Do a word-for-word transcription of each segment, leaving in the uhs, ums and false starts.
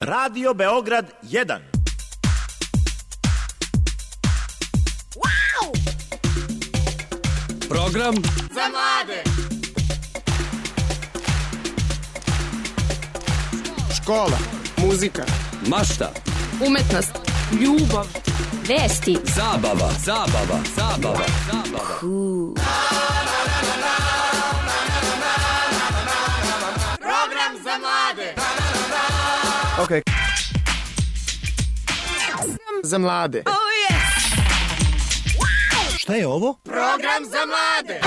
Radio Beograd jedan. Wow! Program za mlade. Škola, muzika, mašta, umetnost, ljubav, vesti, zabava, zabava, zabava, zabava. Cool. Program za mlade. Ok. Za mlade. Oh yes! Wow! Šta je ovo? Program za mlade.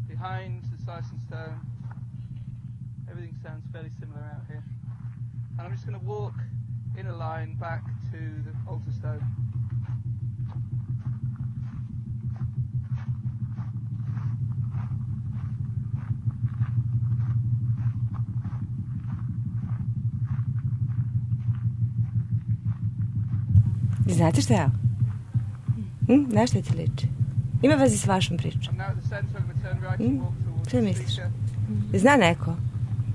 Behind the Slice and Stone, everything sounds fairly similar out here. And I'm just going to walk in a line back to the altar stone. Znate šta je? Hm? Znaš šta ti liči? Ima veze s vašom pričom. Hm? Šta misliš? Zna neko?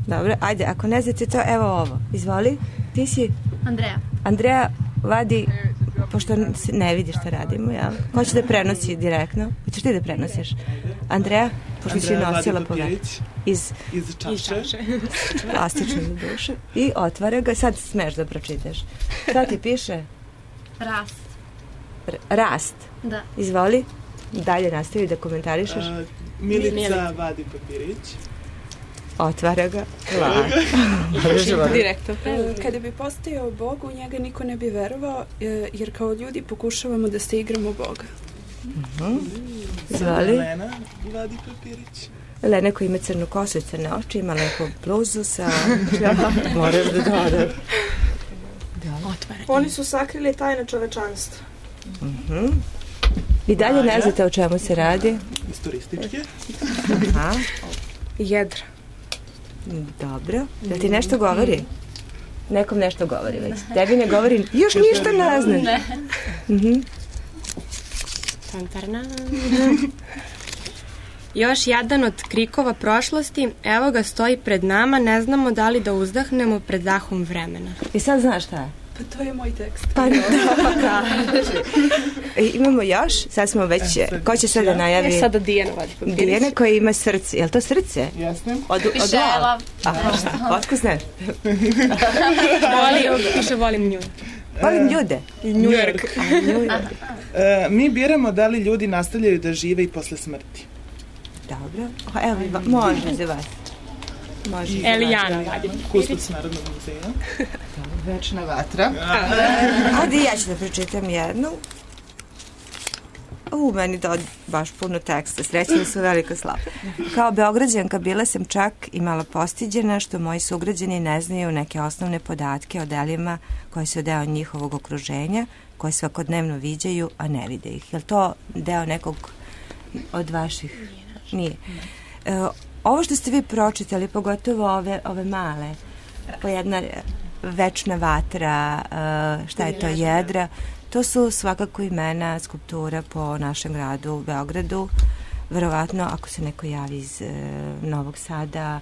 Dobro, ajde, ako ne znate to, evo ovo. Izvoli, ti si? Andreja. Andreja vadi, pošto ne vidi šta radimo, jel? Ko će da prenosi direktno? Hoćeš ti da prenosiš? Andreja, pošto si nosila povek. Iz, iz čaše. Plastične duše. I otvara ga, sad smeš da pročitaš. Šta ti piše? Rast. R- rast? Da. Izvoli, dalje nastavi da komentarišeš. Uh, Milica, Milica vadi papirić. Otvara ga. Direktno. Kada bi postojao Bog, u njega niko ne bi verovao, jer kao ljudi pokušavamo da se igramo Boga. Uh-huh. Izvoli. Lena vadi papirić. Lena koja ima crnu kosu i crne oči, ima lepo bluzu sa... Moraš da dodaš. Oni su sakrili tajne čovečanstva. Uh-huh. I dalje ne znate o čemu se radi? Historističke. Aha. Jedra. Dobro. Da ti nešto govori? Nekom nešto govori već. Tebi ne govori, još ništa ne znaš. Ne. Uh-huh. Još jedan od krikova prošlosti, evo ga stoji pred nama, ne znamo da li da uzdahnemo pred dahom vremena. I sad znaš šta je? Pa to je moj tekst. Pa da, pa kaži. Imamo još, sad smo već, ko će sad da najavi? E, sada Dijana vadi papirić. Dijana koja ima srce, je li to srce? Jasne. Od, od piše love. Otko znaš? Volim, piše volim nju. Volim ljude. New York. Uh, mi biramo da li ljudi nastavljaju da žive i posle smrti. Dobro. Evo, može za vas. Može. Elijana vadi. Kustos Narodnog muzeja. Večna vatra. Ajde, ja ću da pročitam jednu. U, meni da baš puno teksta. Srećno su veliko slabo. Kao Beograđanka bila sam čak i malo postiđena što moji sugrađani ne znaju neke osnovne podatke o delima koji su deo njihovog okruženja, koje svakodnevno viđaju, a ne vide ih. Je li to deo nekog od vaših? Nije. E, ovo što ste vi pročitali, pogotovo ove, ove male, po jedna večna vatra, šta je to, jedra, to su svakako imena skulptura po našem gradu u Beogradu. Verovatno, ako se neko javi iz e, Novog Sada,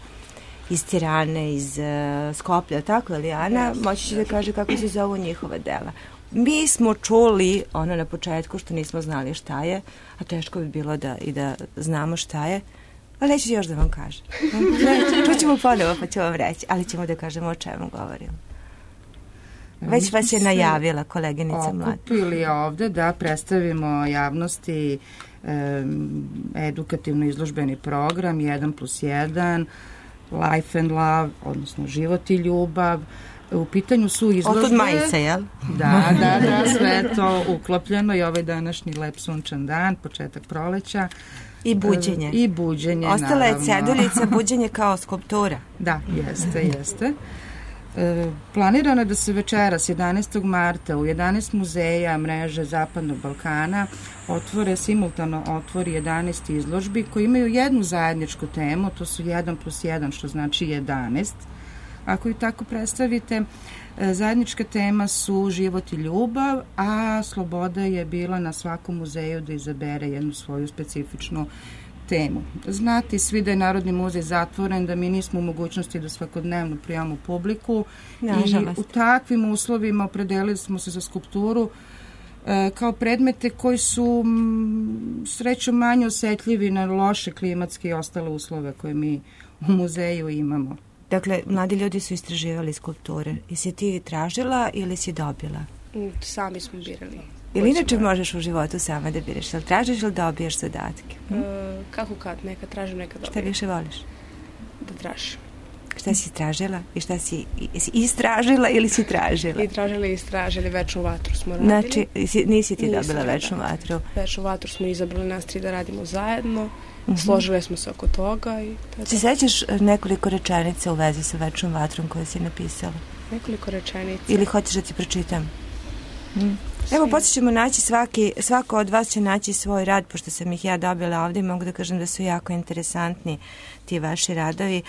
iz Tirane, iz e, Skoplja, tako je li, Ana? Moći će da kaže kako se zovu njihova dela. Mi smo čuli ono na početku što nismo znali šta je, a teško bi bilo da i da znamo šta je, ali neću još da vam kažem. Čućemo ponovo pa ću vam reći, ali ćemo da kažemo o čemu govorimo. Već vas je najavila koleginica Mlada. Okupili ovde da predstavimo javnosti e, edukativno izložbeni program jedan plus jedan, Life and Love, odnosno Život i ljubav. U pitanju su izložbe... Otud majice, jel? Da, da, da, sve to uklopljeno i ovaj današnji lep sunčan dan, početak proleća. I buđenje. I buđenje, ostala naravno. Ostala je ceduljica, buđenje kao skulptura. Da, jeste, jeste. E, planirano je da se večeras jedanaestog marta u jedanaest muzeja mreže Zapadnog Balkana otvore, simultano otvori jedanaest izložbi koji imaju jednu zajedničku temu, to su jedan plus jedan, što znači jedanaest. Ako ju tako predstavite, zajednička tema su život i ljubav, a sloboda je bila na svakom muzeju da izabere jednu svoju specifičnu temu. Znati svi da je Narodni muzej zatvoren, da mi nismo u mogućnosti da svakodnevno prijavamo publiku Nažalost. i u takvim uslovima opredelili smo se za skulpturu e, kao predmete koji su m, srećom manje osetljivi na loše klimatske i ostale uslove koje mi u muzeju imamo. Dakle, mladi ljudi su istraživali skulpture. I si ti tražila ili si dobila? Sami smo birali. Ili inače možeš u životu sama da biraš? Ili tražiš ili dobijaš zadatke? Hm? E, kako kad? Neka tražim, neka dobijem. Šta više voliš? Da tražim. Šta si tražila i šta si si istražila ili si tražila? I tražili i istražili, večnu vatru smo radili. Znači, si, nisi ti Nisam dobila večnu radila. vatru? Večnu vatru smo izabrali nas tri da radimo zajedno. Uh-huh. Složili smo se oko toga. I se sećaš nekoliko rečenica u vezi sa večnom vatrom koje si napisala? Nekoliko rečenica. Ili hoćeš da ti pročitam? Hm? Evo, poslije ćemo naći svaki, svako od vas će naći svoj rad, pošto sam ih ja dobila ovdje, mogu da kažem da su jako interesantni ti vaši radovi.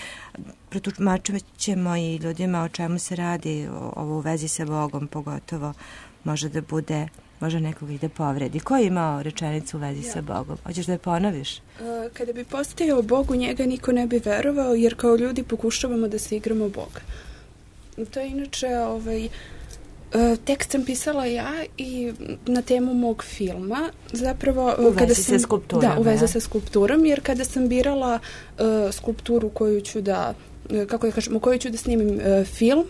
Protumačit ćemo i ljudima o čemu se radi, ovo u vezi sa Bogom pogotovo, može da bude, može nekog i da povredi. Ko je imao rečenicu u vezi ja. sa Bogom? Hoćeš da je ponoviš? Kada bi postojao Bog, u njega niko ne bi verovao, jer kao ljudi pokušavamo da se igramo Boga. To je inače ovaj... tekst sam pisala ja i na temu mog filma. Zapravo, u vezi kada sam, sa skulpturom. Da, u vezi ja. sa skulpturom, jer kada sam birala uh, skulpturu koju ću da, uh, kako da kažem, u koju ću da snimim uh, film,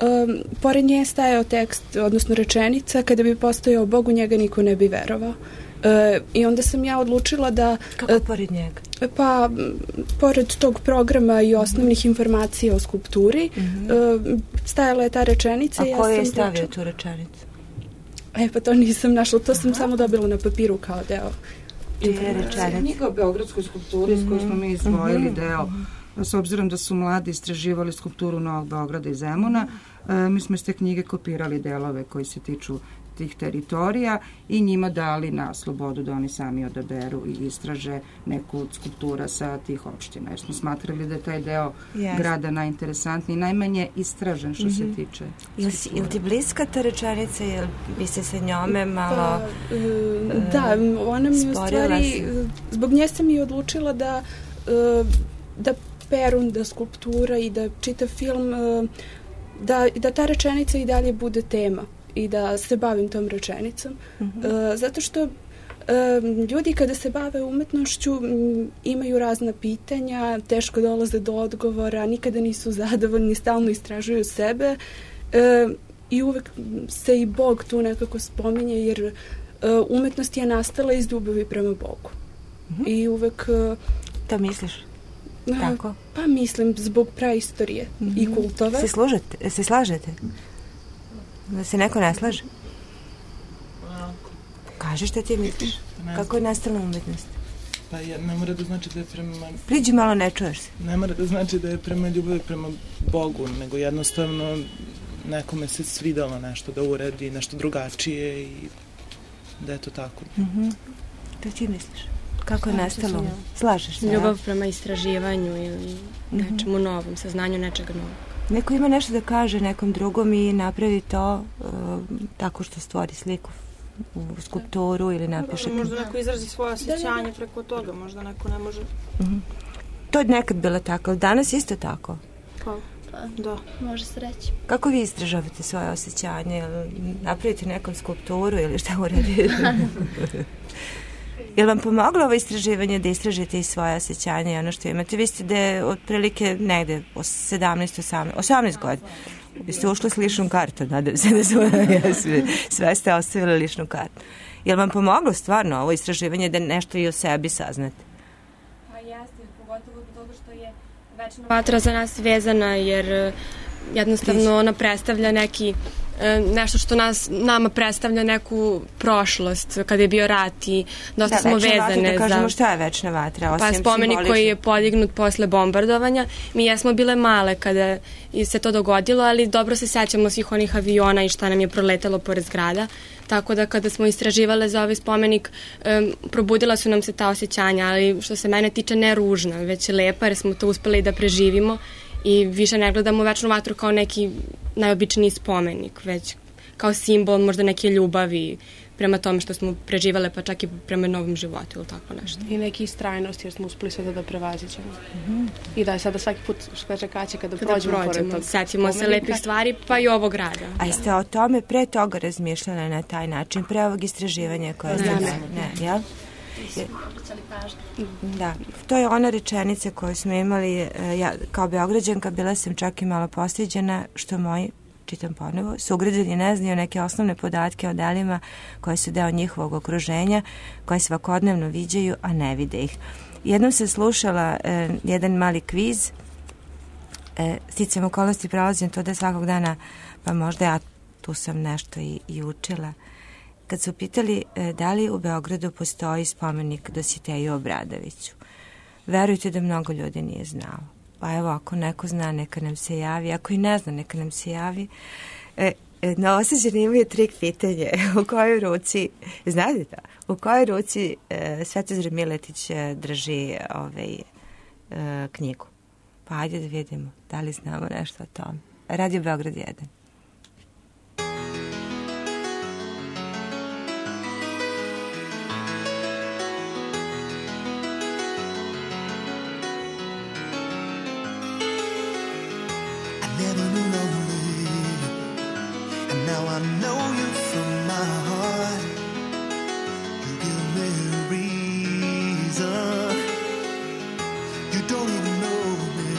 um, pored nje stajao tekst, odnosno rečenica, kada bi postojao Bog, u njega niko ne bi verovao. Uh, I onda sam ja odlučila da... Kako uh, pored njega? Pa, m, pored tog programa i osnovnih mm-hmm. informacija o skulpturi, mm-hmm. uh, stajala je ta rečenica. A ja ko je sam stavio počela... tu rečenicu? E, pa to nisam našla, to sam Aha. samo dobila na papiru kao deo. Je rečenica. Knjiga o beogradskoj skulpturi mm-hmm. s kojoj smo mi izdvojili mm-hmm. deo, s obzirom da su mladi istraživali skulpturu Novog Beograda i Zemuna, mm-hmm. uh, mi smo iz te knjige kopirali delove koji se tiču tih teritorija i njima dali na slobodu da oni sami odaberu i istraže neku od skulptura sa tih opština. Jer smo smatrali da je taj deo yes. grada najinteresantniji, najmanje istražen što mm-hmm. se tiče. Jel, si, jel ti bliska ta rečenica? Jel bi se sa njome malo pa, uh, Da, ona mi u stvari, zbog nje sam i odlučila da uh, da Perun, da skulptura i da čitav film, uh, da, da ta rečenica i dalje bude tema i da se bavim tom rečenicom. Mm-hmm. Uh, zato što uh, ljudi kada se bave umetnošću m, imaju razna pitanja, teško dolaze do odgovora, nikada nisu zadovoljni, stalno istražuju sebe uh, i uvek se i Bog tu nekako spominje, jer uh, umetnost je nastala iz ljubavi prema Bogu. Mm-hmm. I uvek... Uh, to misliš? Uh, Tako? Pa mislim, zbog praistorije mm-hmm. i kultove. Se, služete, se slažete? Da se neko ne slaže? Kaži šta ti misliš? Kako je nastala umetnost? Pa ja, ne mora da znači da je prema... Priđi malo, ne čuješ se. Ne mora da znači da je prema ljubavi prema Bogu, nego jednostavno nekome se svidalo nešto da uredi, nešto drugačije i da je to tako. Mm-hmm. Šta ti misliš? Kako je nastalo? Slažeš se? Ljubav prema istraživanju ili mm-hmm. nečemu novom, saznanju nečega novog. Neko ima nešto da kaže nekom drugom i napravi to uh, tako što stvori sliku u skulpturu ili napiše... Možda neko izrazi svoje osjećanje preko toga, možda neko ne može... Mm-hmm. To je nekad bilo tako, ali danas isto tako? Pa, da. Može se reći. Kako vi istražavate svoje osjećanje? Napravite nekom skulpturu ili šta uradite? Je li vam pomoglo ovo istraživanje da istražite i svoje osjećanje i ono što imate? Vi ste da je otprilike negde sedamnaest osamnaest osamnaest godina. Vi ste ušli s ličnom kartom, nadam se da su sve, sve ste ostavili ličnu kartu. Je li vam pomoglo stvarno ovo istraživanje da nešto i o sebi saznate? Pa jeste, pogotovo zbog toga što je večna vatra za nas vezana, jer jednostavno ona predstavlja neki nešto što nas, nama predstavlja neku prošlost kada je bio rat i dosta da, smo vezane vatra, da kažemo za... šta je večna vatra, osim pa spomenik simbolično. koji je podignut posle bombardovanja. Mi jesmo bile male kada se to dogodilo, ali dobro se sećamo svih onih aviona i šta nam je proletelo pored zgrada, tako da kada smo istraživale za ovaj spomenik um, probudila su nam se ta osjećanja, ali što se mene tiče ne ružna, već lepa, jer smo to uspeli da preživimo i više ne gledamo večnu vatru kao neki najobičniji spomenik, već kao simbol možda neke ljubavi prema tome što smo preživale, pa čak i prema novom životu ili tako nešto. I neki istrajnost jer smo uspeli sada da prevaziđemo. Mm-hmm. I da je sada svaki put što kaže Kaća kada, kada prođemo, prođemo pored tog setimo se lepih stvari, pa i ovog rada. A jeste o tome pre toga razmišljali na taj način, pre ovog istraživanja koje ste... Ne, ne, ne, jel? Da, to je ona rečenica koju smo imali, ja kao Beograđanka bila sam čak i malo postiđena što moji, čitam ponovo, sugrađani ne znaju neke osnovne podatke o delima koje su deo njihovog okruženja, koje svakodnevno viđaju, a ne vide ih. Jednom sam slušala eh, jedan mali kviz, eh, sticam okolnosti prelazim to da svakog dana, pa možda ja tu sam nešto i, i učila. Kad su pitali e, da li u Beogradu postoji spomenik Dositeju Obradoviću, verujte da mnogo ljudi nije znalo. Pa evo, ako neko zna, neka nam se javi, ako i ne zna, neka nam se javi. E, e, Novosađani imaju trik pitanje, u kojoj ruci, znate to, u kojoj ruci e, Svetozar Miletić e, drži ovaj, e, knjigu. Pa ajde da vidimo, da li znamo nešto o tome. Radio Beograd jedan. I know you from my heart. You give me a reason. You don't even know me,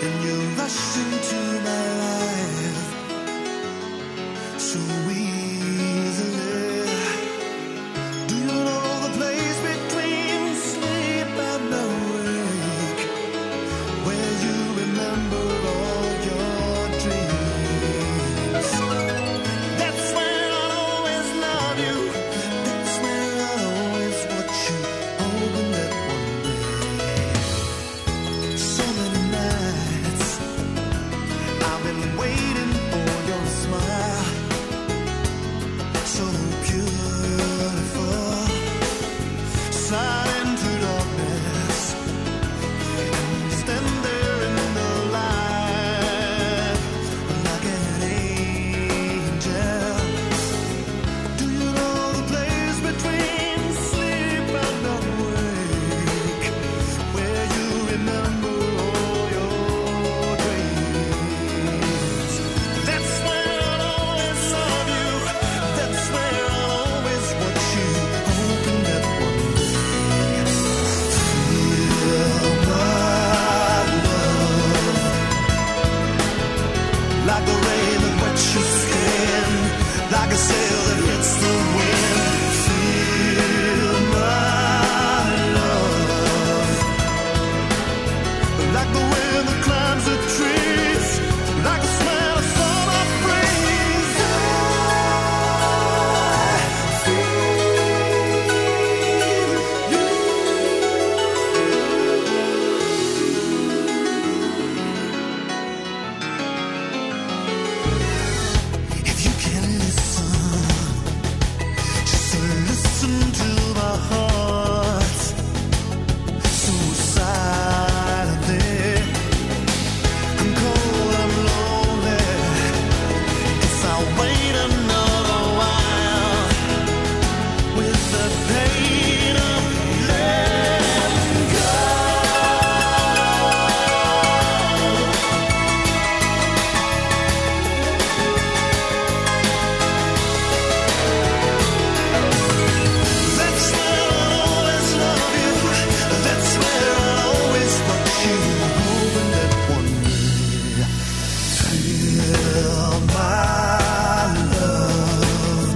and you rush into my life so easily. Do you know the place between sleep and awake, where you remember all your dreams? That's where I'll always love you. That's where I'll always watch you, hoping that one day. So many nights I've been waiting for your smile, so beautiful. Slide into darkness and stand there in the light like an angel. Do you know the place between sleep and awake, where you remember all your dreams? That's where I'll always love you. That's where I'll always watch you, hoping that one day feel my love like the rain that wets your skin, like a sail that hits the wind. Feel my love like the wind that climbs the trees, like the smell of summer breeze. I feel you. If you can listen, just listen to my heart, so silently. I'm cold, I'm lonely. Guess I'll wait another while with the pain of letting go. That's where I'll always love you. That's where I'll always watch you, hoping that one day feel my love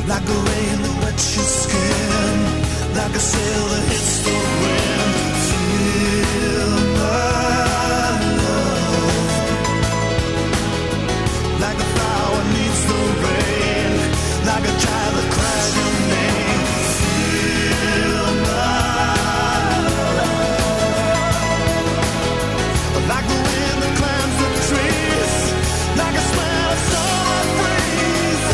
like the rain that wets your skin, like a sail that hits the wind. Feel my love like a flower needs the rain, like a child that cries your name. Feel my love like the wind that climbs the trees, like a smell of summer breeze.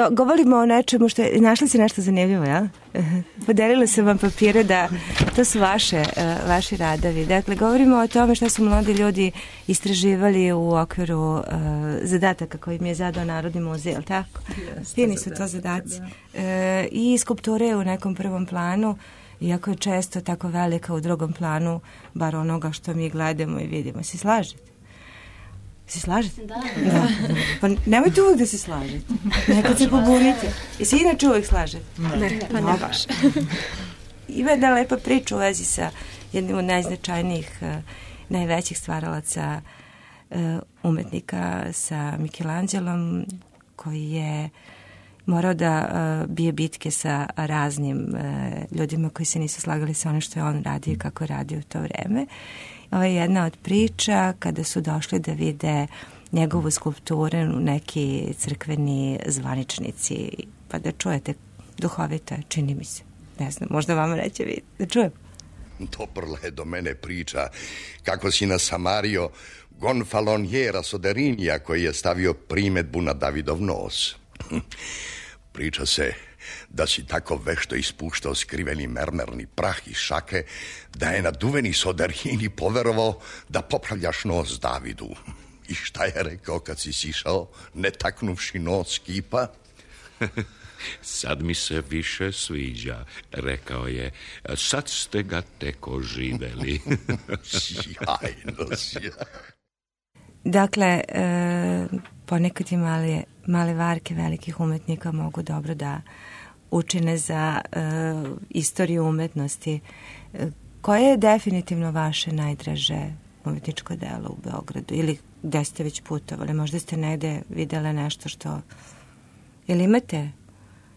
do, govorimo o nečemu što je, našli se nešto zanimljivo, ja? Podelila sam vam papire da to su vaše, uh, vaši radovi. Dakle, govorimo o tome što su mladi ljudi istraživali u okviru uh, zadataka koji mi je zadao Narodni muzej, ali tako? Fini su to zadaci. Uh, I skulpture je u nekom prvom planu, iako je često tako velika u drugom planu, bar onoga što mi gledamo i vidimo. Si slažete? Si slažete? Da. Da. Pa nemojte uvijek da se slažete. Nekad se pobunite. I si inače uvijek slažete? Ne, pa ne baš. Ima jedna lepa priča u vezi sa jednim od najznačajnijih, uh, najvećih stvaralaca uh, umetnika, sa Michelangelom, koji je morao da uh, bije bitke sa raznim uh, ljudima koji se nisu slagali sa onim što je on radio i kako je radio u to vreme. Ovo je jedna od priča kada su došli da vide njegovu skulpturu u neki crkveni zvaničnici, pa da čujete, duhovito je, čini mi se. Ne znam, možda vama neće vidjeti. Da čujem. Doprla je do mene priča kako si nasamario gonfalonjera Soderinija koji je stavio primedbu na Davidov nos. Priča se da si tako vešto ispuštao skriveni mermerni prah iz šake da je naduveni Soderini poverovao da popravljaš nos Davidu. I šta je rekao kad si sišao, ne taknuvši nos kipa? Sad mi se više sviđa, rekao je. Sad ste ga tek oživeli. Sjajno, sjajno. Dakle, e, ponekad i male, male varke velikih umetnika mogu dobro da učine za e, istoriju umetnosti. E, koje je definitivno vaše najdraže umetničko delo u Beogradu? Ili gde ste već putovali? Možda ste negde videle nešto što... Ili imate,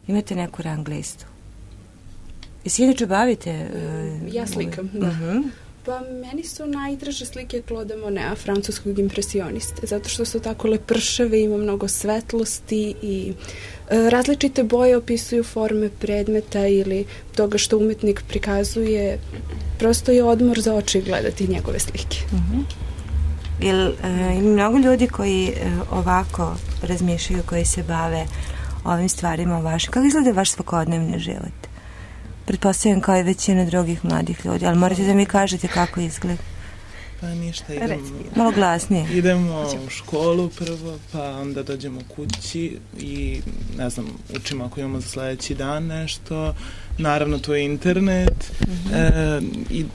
imate neku rang listu? I si inače bavite? E, ja slikam, da. Uh-huh. Pa meni su najdraže slike Claude Moneta, francuskog impresioniste, zato što su tako lepršave, ima mnogo svetlosti i e, različite boje opisuju forme predmeta ili toga što umetnik prikazuje. Prosto je odmor za oči gledati njegove slike. Uh-huh. Jel, e, ima mnogo ljudi koji e, ovako razmišljaju, koji se bave ovim stvarima o vašem. Kako izgleda vaš svakodnevni život? Pretpostavljam kao i većina drugih mladih ljudi, ali morate da mi kažete kako izgleda. Pa ništa, idemo... Malo glasnije. Idemo u školu prvo, pa onda dođemo kući i, ne znam, učimo ako imamo za sledeći dan nešto. Naravno, to je internet. Mm-hmm. E, i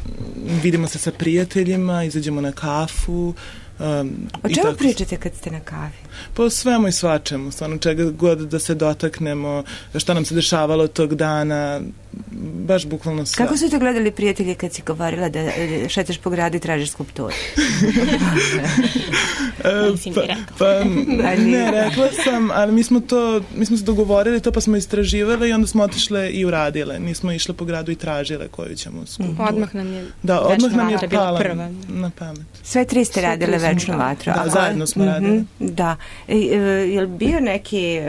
vidimo se sa prijateljima, izađemo na kafu. Um, o čemu pričate kad ste na kavi? Po svemu i svačemu, stvarno čega god da se dotaknemo, šta nam se dešavalo tog dana, baš bukvalno sve. Kako su to gledali prijatelji kad si govorila da šetaš po gradu i tražiš skulpturu? e, pa, pa ne, rekla sam, ali mi smo to, mi smo se dogovorili to pa smo istraživali i onda smo otišle i uradile. Nismo išle po gradu i tražile koju ćemo skulpturu. Odmah nam je da, odmah nam je pala prva. Na pamet. Sve tri ste radile večnu vatru. Da, zajedno smo mm-hmm, radili. Da. E, je li bio neki,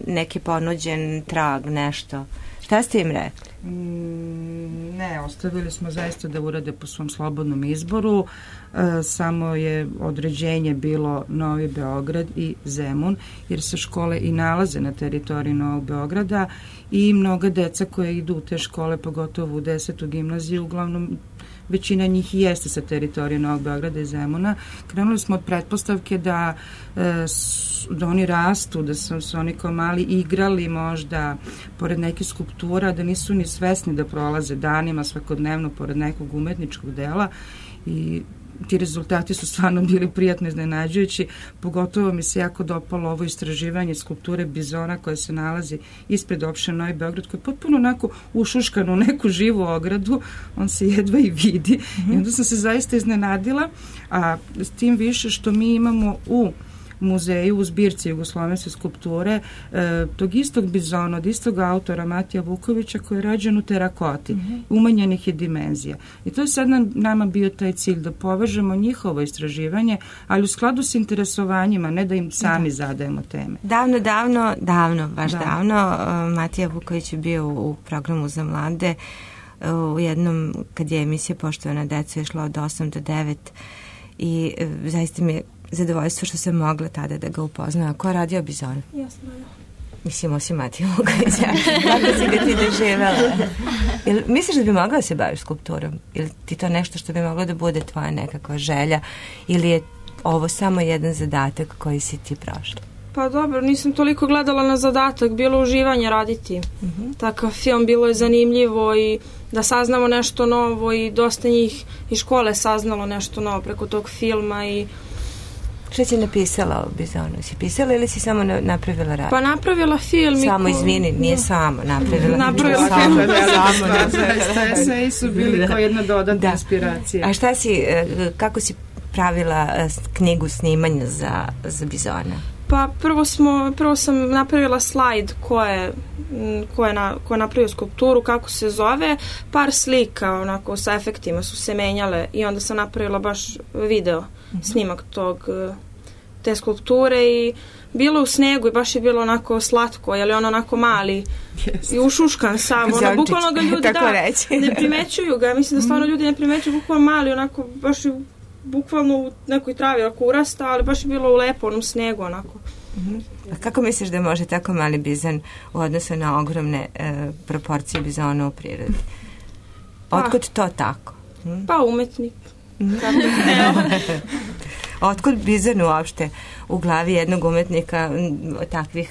neki ponuđen trag, nešto? Šta ste im rekli? Mm, ne, ostavili smo zaista da urade po svom slobodnom izboru. E, samo je određenje bilo Novi Beograd i Zemun, jer se škole i nalaze na teritoriji Novog Beograda i mnoga deca koje idu u te škole, pogotovo u desetu gimnaziju, uglavnom većina njih i jeste sa teritorije Novog Beograda i Zemuna. Krenuli smo od pretpostavke da, e, da oni rastu, da su, su oni kao mali igrali možda pored nekih skulptura, da nisu ni svesni da prolaze danima svakodnevno pored nekog umetničkog dela i ti rezultati su stvarno bili prijatno iznenađujući, pogotovo mi se jako dopalo ovo istraživanje skulpture Bizona koja se nalazi ispred opštine Novi Beograd, koja je potpuno onako ušuškan u neku živu ogradu, on se jedva i vidi. Mm-hmm. I onda sam se zaista iznenadila, a s tim više što mi imamo u muzeju u zbirci jugoslovenske skulpture e, tog istog Bizona, od istog autora Matija Vukovića koji je rađen u terakoti, mm-hmm. umanjenih je dimenzija. I to je sad nam, nama bio taj cilj da povežemo njihovo istraživanje, ali u skladu s interesovanjima, ne da im sami da. zadajemo teme. Davno, davno, davno, baš da. davno, Matija Vuković je bio u programu za mlade u jednom, kad je emisija Poštovana deca išla od osam do devet i zaista mi je zadovoljstvo što sam mogla tada da ga upoznam. Ko je radio Bizona? Ja sam Mislim, osim Matija Vukovića. Kako si ga ti doživjela? Jel, misliš da bi mogla da se baviš skulpturom? Ili ti to nešto što bi moglo da bude tvoja nekakva želja? Ili je ovo samo jedan zadatak koji si ti prošla? Pa dobro, nisam toliko gledala na zadatak, bilo uživanje raditi. Uh-huh. Takav film, bilo je zanimljivo i da saznamo nešto novo i dosta njih iz škole saznalo nešto novo preko tog filma i šta si napisala o Bizonu? Si pisala ili si samo napravila rad? Pa napravila film. Samo, izvini, nije no. samo napravila. Napravila film. Samo napravila. Eseji su bili kao jedna dodatna inspiracija. A šta si, kako si pravila knjigu snimanja za, za Bizona? Pa prvo, smo, prvo sam napravila slajd ko je, ko je, na, ko je napravio skulpturu, kako se zove, par slika onako sa efektima su se menjale i onda sam napravila baš video, mm-hmm. snimak tog, te skulpture i bilo u snegu i baš je bilo onako slatko, jer je on onako mali yes. i ušuškan sam, ono, bukvalno ga ljudi da, ne primećuju ga, mislim da stvarno ljudi ne primećuju, bukvalno mali, onako baš je bukvalno u nekoj travi ako urasta, ali baš je bilo u lepo onom snegu onako. Uh-huh. A kako misliš da može tako mali bizon u odnosu na ogromne e, proporcije bizona u prirodi? Otkud to tako? Hmm? Pa umetnik. Otkud bizon uopšte u glavi jednog umetnika takvih,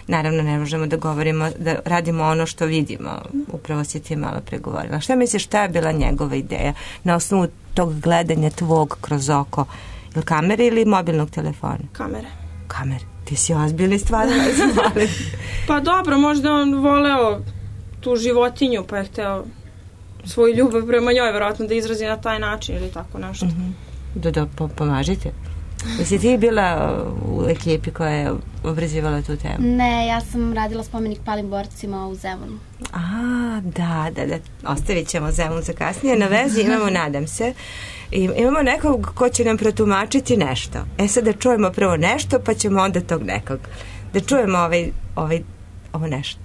naravno ne možemo da govorimo, da radimo ono što vidimo, upravo si ti malo pregovorila. Šta misliš, šta je bila njegova ideja na osnovu tog gledanja tvog kroz oko? Ili kamere ili mobilnog telefona? Kamere. Kamere. Ti si ozbiljni stvarno. Pa dobro, možda on voleo tu životinju pa je hteo svoju ljubav prema njoj verovatno da izrazi na taj način ili tako nešto. Mm-hmm. Da, da, pomažite. Jesi ti bila u ekipi koja je obrazivala tu temu? Ne, ja sam radila spomenik palim borcima u Zemunu. A, da, da, da. Ostavit ćemo Zemun za kasnije. Na vezi imamo, nadam se, i imamo nekog ko će nam protumačiti nešto. E sad da čujemo prvo nešto, pa ćemo onda tog nekog. Da čujemo ovaj, ovaj, ovo nešto.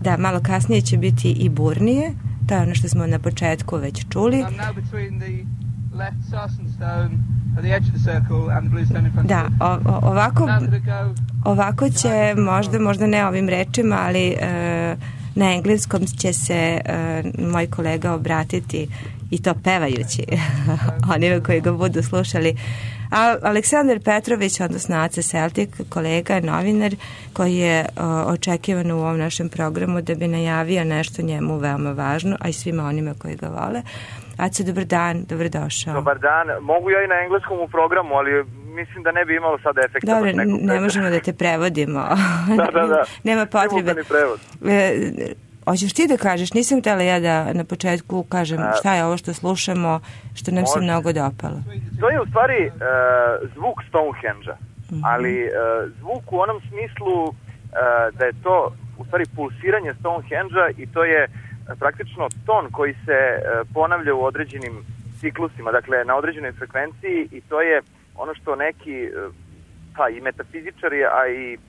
Da, malo kasnije će biti i burnije. To je ono što smo na početku već čuli. Da, o, o, ovako, ovako će, možda, možda ne ovim rečima, ali e, na engleskom će se e, moj kolega obratiti i to pevajući onima koji ga budu slušali. A Aleksandar Petrović, odnosno Aca Celtic, kolega, novinar, koji je o, očekivan u ovom našem programu da bi najavio nešto njemu veoma važno, a i svima onima koji ga vole. Aca, dobar dan, dobrodošao. Dobar dan, mogu ja i na engleskom u programu, ali mislim da ne bi imalo sada efekta. Dobro, ne možemo da te prevodimo. Da, da, da. Nema potrebe. E, hoćeš ti da kažeš, nisam htjela ja da na početku kažem šta je ovo što slušamo, što nam se mnogo dopalo. To je u stvari uh, zvuk Stonehenge-a, mm-hmm. ali uh, zvuk u onom smislu uh, da je to u stvari pulsiranje Stonehenge-a i to je uh, praktično ton koji se uh, ponavlja u određenim ciklusima, dakle na određenoj frekvenciji i to je ono što neki uh, pa i metafizičari, a i uh,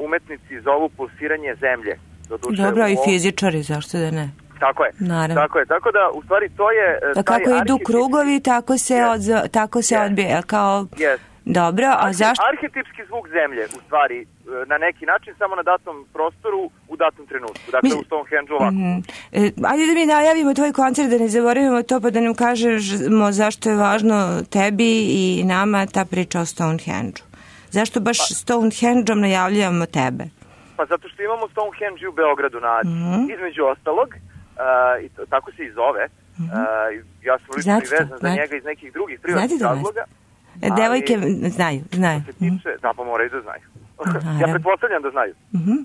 umetnici zovu pulsiranje zemlje. Doduše, dobro, i fizičari, zašto da ne? Tako je. Naravno. Tako je. Tako da, u stvari, to je... Da kako idu krugovi, tako se, yes. od, tako se yes. odbije. Kao... Yes. Dobro, a Arhi, zašto? Arhetipski zvuk zemlje, u stvari, na neki način, samo na datom prostoru, u datom trenutku. Dakle, Mi... u Stonehenge ovako. Mm-hmm. E, ajde da mi najavimo tvoj koncert, da ne zaboravimo to, pa da nam kažemo zašto je važno tebi i nama ta priča o Stonehenge-u. Zašto baš pa. Stonehenge-om najavljujemo tebe? Pa zato što imamo Stonehenge u Beogradu na Adi. Mm-hmm. Između ostalog, uh, i to, tako se i zove, mm-hmm. uh, ja sam lično i vezan za njega iz nekih drugih privatnih razloga. E, devojke znaju, znaju. Se tiče, mm-hmm. Da, pa moraju da znaju. Ja pretpostavljam da znaju. Mm-hmm.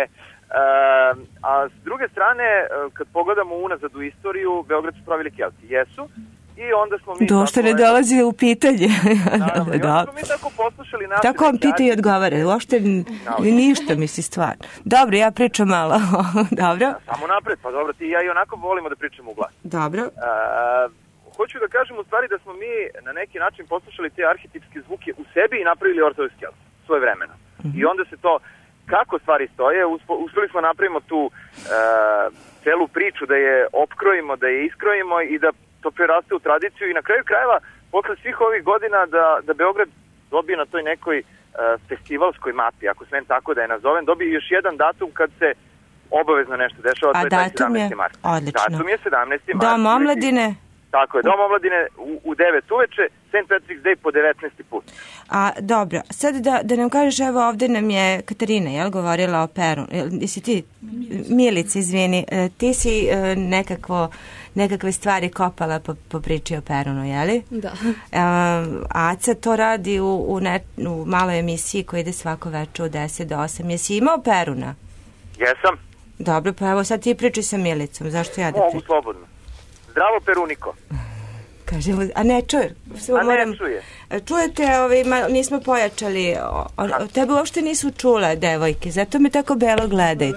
E, uh, a s druge strane, uh, kad pogledamo unazad u istoriju, Beograd su pravili Kelti. Jesu. I onda smo mi... Došto ne dolazi u pitanje. Naravno, i onda smo mi tako poslušali naše... Tako vam pita i odgovara, uopšte ništa misli stvar. Dobro, ja pričam malo. Dobro. Ja, samo napred, pa dobro, ti i ja i onako volimo da pričamo u glas. Dobro. Uh, hoću da kažem u stvari da smo mi na neki način poslušali te arhetipske zvuke u sebi i napravili ortodoks Kelt, svoje vremena. Mm-hmm. I onda se to, kako stvari stoje, uspeli smo napravimo tu uh, celu priču, da je opkrojimo, da je iskrojimo i da to preraste u tradiciju i na kraju krajeva, posle svih ovih godina da, da Beograd dobije na toj nekoj uh, festivalskoj mapi, ako smem tako da je nazovem, dobije još jedan datum kad se obavezno nešto dešava, to je taj sedamnaesti mart. Odlično. Datum je sedamnaesti mart. Dom omladine? Tako je, Dom omladine u, u devet uveče, Saint Patrick's Day po devetnaesti put. A, dobro, sad da, da nam kažeš, evo ovde nam je Katarina, jel, govorila o Perunu. Jesi ti, Milica, izvini, ti si nekakvo, nekakve stvari kopala po, po priči o Perunu, jeli? Da. A, Aca to radi u, u, ne, u maloj emisiji koja ide svako večer u deset do osam. Jesi imao Peruna? Jesam. Dobro, pa evo sad ti priči sa Milicom, zašto ja da pričam? Mogu slobodno. Zdravo, Peruniko. Kažemo, a ne čuje. A ne moram, čuje. Čujete, ovaj, ma, nismo pojačali, o, o, tebe uopšte nisu čule, devojke, zato me tako belo gledaju.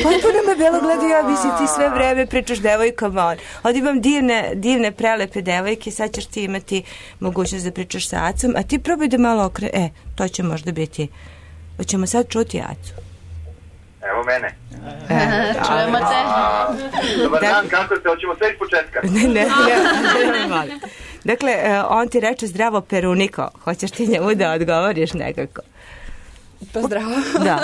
Potpuno me belo gledaju, ja bi si ti sve vreme pričaš devojkama. Ovdje imam divne, divne, prelepe devojke, sad ćeš ti imati mogućnost da pričaš sa Acom, a ti probaj da malo okre... E, to će možda biti... Hoćemo sad čuti Acu. Evo mene. E, čujemo te. Dobar dan, kako ste? Hoćemo sve iz početka. Ne, ne, ne, ne. Dakle, on ti reče zdravo Peruniko. Hoćeš ti njemu da odgovoriš nekako? Pa zdravo. Da.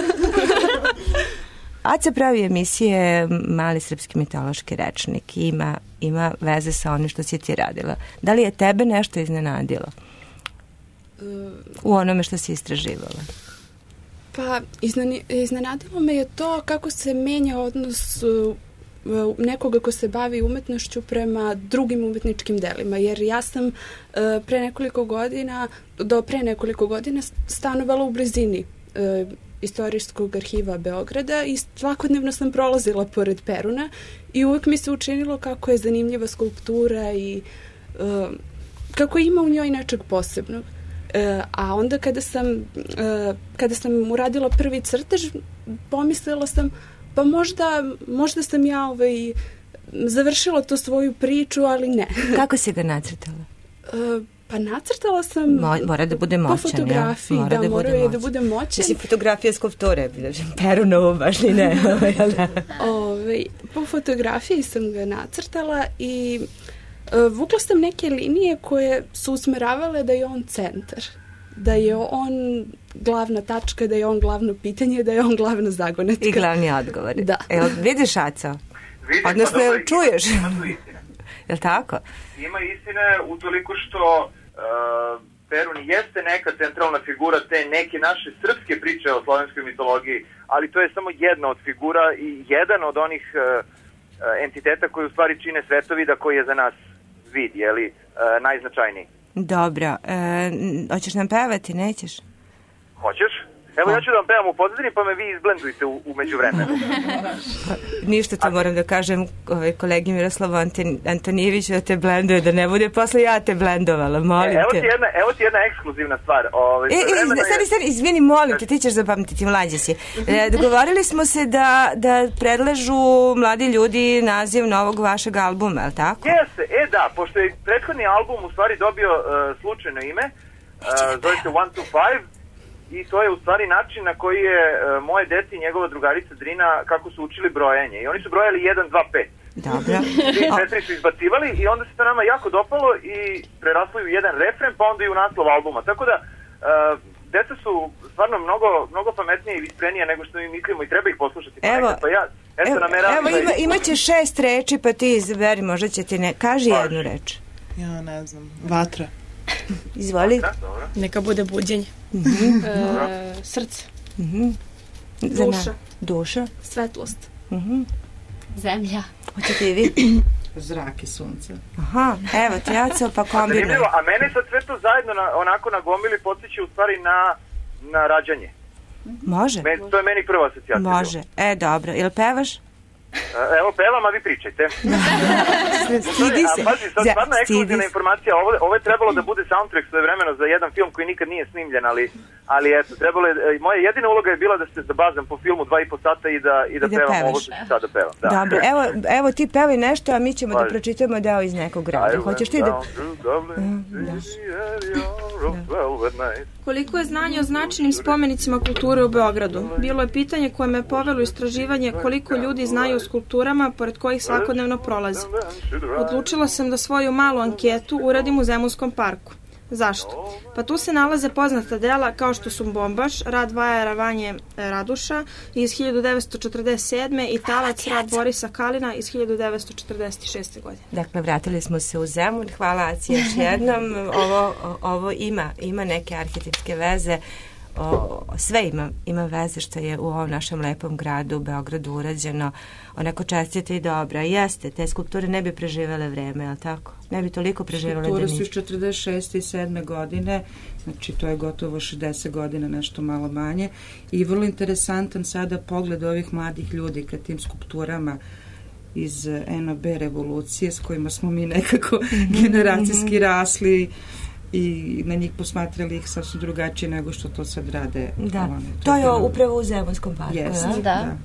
Aca pravi emisije Mali srpski mitološki rečnik i ima, ima veze sa onim što si ti radila. Da li je tebe nešto iznenadilo u onome što si istraživala? Pa, iznenadilo me je to kako se menja odnos uh, nekoga ko se bavi umetnošću prema drugim umetničkim delima, jer ja sam uh, pre nekoliko godina, do pre nekoliko godina stanovala u blizini uh, Istorijskog arhiva Beograda i svakodnevno sam prolazila pored Peruna i uvek mi se učinilo kako je zanimljiva skulptura i uh, kako ima u njoj nečeg posebnog. Uh, a onda kada sam, uh, kada sam uradila prvi crtež, pomislila sam, pa možda, možda sam ja ovaj, završila to svoju priču, ali ne. Kako si ga nacrtala? Uh, pa nacrtala sam Mo, mora da bude moćan, po fotografiji, ja? Mora da, da mora bude je da bude moćan. Mislim, fotografija skulpture, Perunovo baš ni ne. Ove, po fotografiji sam ga nacrtala i uh, vukla sam neke linije koje su usmeravale da je on centar, da je on glavna tačka, da je on glavno pitanje, da je on glavna zagonetka. I glavni odgovor. Da. Evo, vidiš, Aco? Odnosno, jel čuješ? Jel tako? Ima istine utoliko što uh, Perun jeste neka centralna figura te neke naše srpske priče o slovenskoj mitologiji, ali to je samo jedna od figura i jedan od onih uh, entiteta koji u stvari čine svetovida koji je za nas vid, jeli, uh, najznačajniji. Dobro. E, hoćeš nam pevati, nećeš? Hoćeš? Evo, ja ću da vam pevam u pozadini, pa me vi izblendujte u, u međuvremenu. Ništa to moram da kažem ovaj, kolegi Miroslavu Antonijeviću da te blenduje, da ne bude posle ja te blendovala, molim e, evo te. Ti jedna, evo ti jedna ekskluzivna stvar. Ove, e, e, stani, stani, izvini, molim te, ti ćeš zapamtiti, mlađe si. E, dogovorili smo se da, da predlažu mladi ljudi naziv novog vašeg albuma, je li tako? Jeste, e da, pošto je prethodni album u stvari dobio uh, slučajno ime, uh, zove se one two five, i to je u stvari način na koji je uh, moje dete i njegova drugarica Drina kako su učili brojenje. I oni su brojali jedan, dva, pet. Dobro. tri, četiri su izbacivali i onda se to nama jako dopalo i preraslo u jedan refren, pa onda i u naslov albuma. Tako da, uh, deca su stvarno mnogo, mnogo pametnije i visprenije nego što mi mislimo i treba ih poslušati. Evo, pa ja, eto, evo, evo ima, imaće šest reči, pa ti izberi, možda će ti ne... Kaži Vaš. jednu reč. Ja ne znam, vatra. Izvoli. Neka bude buđenje. Mm-hmm. e, srce. Mm-hmm. Duša. Duša. Svetlost. Mm-hmm. Zemlja. Hoćete i vi? Zrak i sunce. Aha, evo ti Aco, pa kombinuj. A, a mene sad sve to zajedno na, onako na gomili podsjeća u stvari na, na rađanje. Može. Men, to je meni prva asocijacija. Može. E, dobro. Jel pevaš? Evo, pevam, a vi pričajte. Stidi se. A pazi, sad stvarno ekskluzivna informacija. Ovo, ovo je trebalo da bude soundtrack svoje vremeno za jedan film koji nikad nije snimljen, ali, ali eto, trebalo je, moja jedina uloga je bila da se zabazam po filmu dva i po sata i da, i da, I da pevam pevaš. Ovo što ću sada pevam. Da. Dobro, evo, evo ti pevaj nešto, a mi ćemo Pazi. da pročitamo deo iz nekog grada. Hoćeš ti da... Down, Koliko je znanje o značajnim spomenicima kulture u Beogradu? Bilo je pitanje koje me povelo u istraživanje koliko ljudi znaju o skulpturama pored kojih svakodnevno prolaze. Odlučila sam da svoju malu anketu uradim u Zemunskom parku. Zašto? Pa tu se nalaze poznata dela kao što su Bombaš, rad Vajara Vanje Raduša iz hiljadu devetsto četrdeset sedme i Talac, rad Borisa Kalina iz hiljadu devetsto četrdeset šeste godine. Dakle, vratili smo se u Zemun. Hvala Aci još jednom. Ovo, ovo ima, ima neke arhitektske veze. O, sve ima, ima veze što je u ovom našem lepom gradu, u Beogradu, urađeno onako čestite i dobra. Jeste, te skulpture ne bi preživele vreme, ali tako? Ne bi toliko preživele. Skulpture su iz četrdeset šeste i sedme godine, znači to je gotovo šezdeset godina, nešto malo manje. I vrlo interesantan sada pogled ovih mladih ljudi ka tim skulpturama iz N O B revolucije s kojima smo mi nekako generacijski rasli i na njih posmatrali ih sasvim drugačije nego što to sad rade. Da, one, to, to je bilo... upravo u Zemunskom parku. Jest, da. da.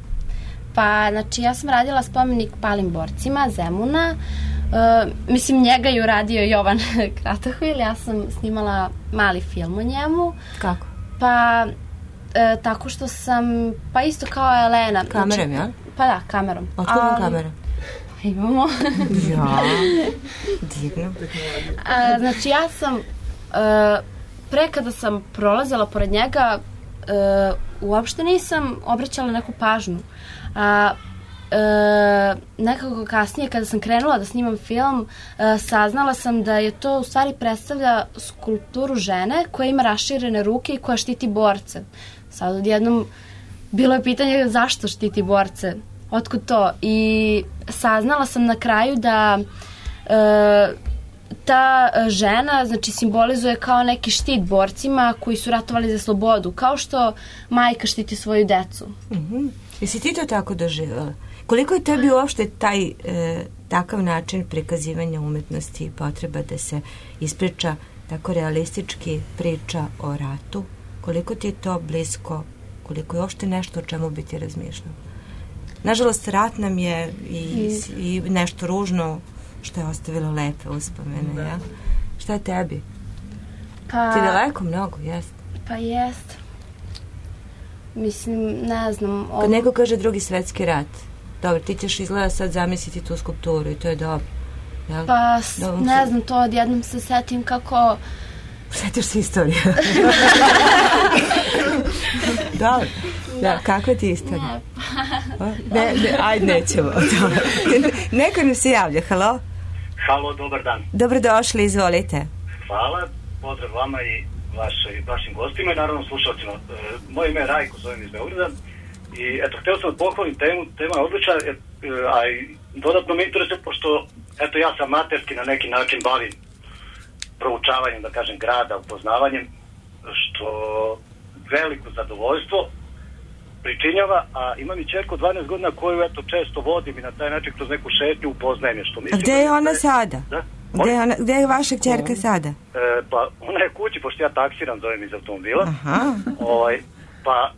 Pa, znači, ja sam radila spomenik palim borcima Zemuna. E, mislim, njega je uradio Jovan Kratohvil. Ja sam snimala mali film o njemu. Kako? Pa, e, tako što sam, pa isto kao Elena. Kamerom, znači, ja? Pa da, kamerom. Otkud vam kamera? Imamo. Ja, divno. A, znači, ja sam, e, pre kada sam prolazila pored njega, e, uopšte nisam obraćala neku pažnju. A e, nekako kasnije, kada sam krenula da snimam film, e, saznala sam da je to u stvari predstavlja skulpturu žene koja ima raširene ruke i koja štiti borce. Sad odjednom bilo je pitanje zašto štiti borce, otkud to? I saznala sam na kraju da e, ta žena, znači, simbolizuje kao neki štit borcima koji su ratovali za slobodu, kao što majka štiti svoju decu. Mhm. Jesi ti to tako doživjela? Koliko je tebi uopšte taj e, takav način prikazivanja umetnosti i potreba da se ispriča tako realistički priča o ratu? Koliko ti je to blisko? Koliko je uopšte nešto o čemu bi ti razmišljala? Nažalost, rat nam je i, i nešto ružno što je ostavilo lepe uspomene, ja? Šta je tebi? Pa, ti daleko mnogo, jest? Pa jest. Mislim, ne znam. Kad neko kaže drugi svetski rat, dobro, ti ćeš izgleda sad zamisliti tu skulpturu i to je dobro. Jel? Pa, dobro, ne znam, to odjednom se setim kako... Setiš se istoriju. Dobro. Da, kakva ti je istorija? Ne, pa... Ne, ne, ajde, nećemo. Neko nam se javlja, halo? Halo, dobar dan. Dobrodošli, izvolite. Hvala, pozdrav vama i vašoj, vašim gostima i naravno slušalcima. E, moje ime je Rajko, zovem iz Beograda i eto, hteo sam da pohvalim temu, tema je odlična, e, a i dodatno me interesuje, pošto eto, ja sam amaterski na neki način bavim proučavanjem, da kažem, grada, upoznavanjem, što veliko zadovoljstvo pričinjava, a imam i čerku dvanaest godina koju eto često vodim i na taj način kroz neku šetnju upoznajem je, što mislim... A gde je ona sada? Da? Gde je, ona, gde je vaša kćerka sada? E, pa ona je kući, pošto ja taksiram, zovem iz automobila. Aha. Ovaj, pa e,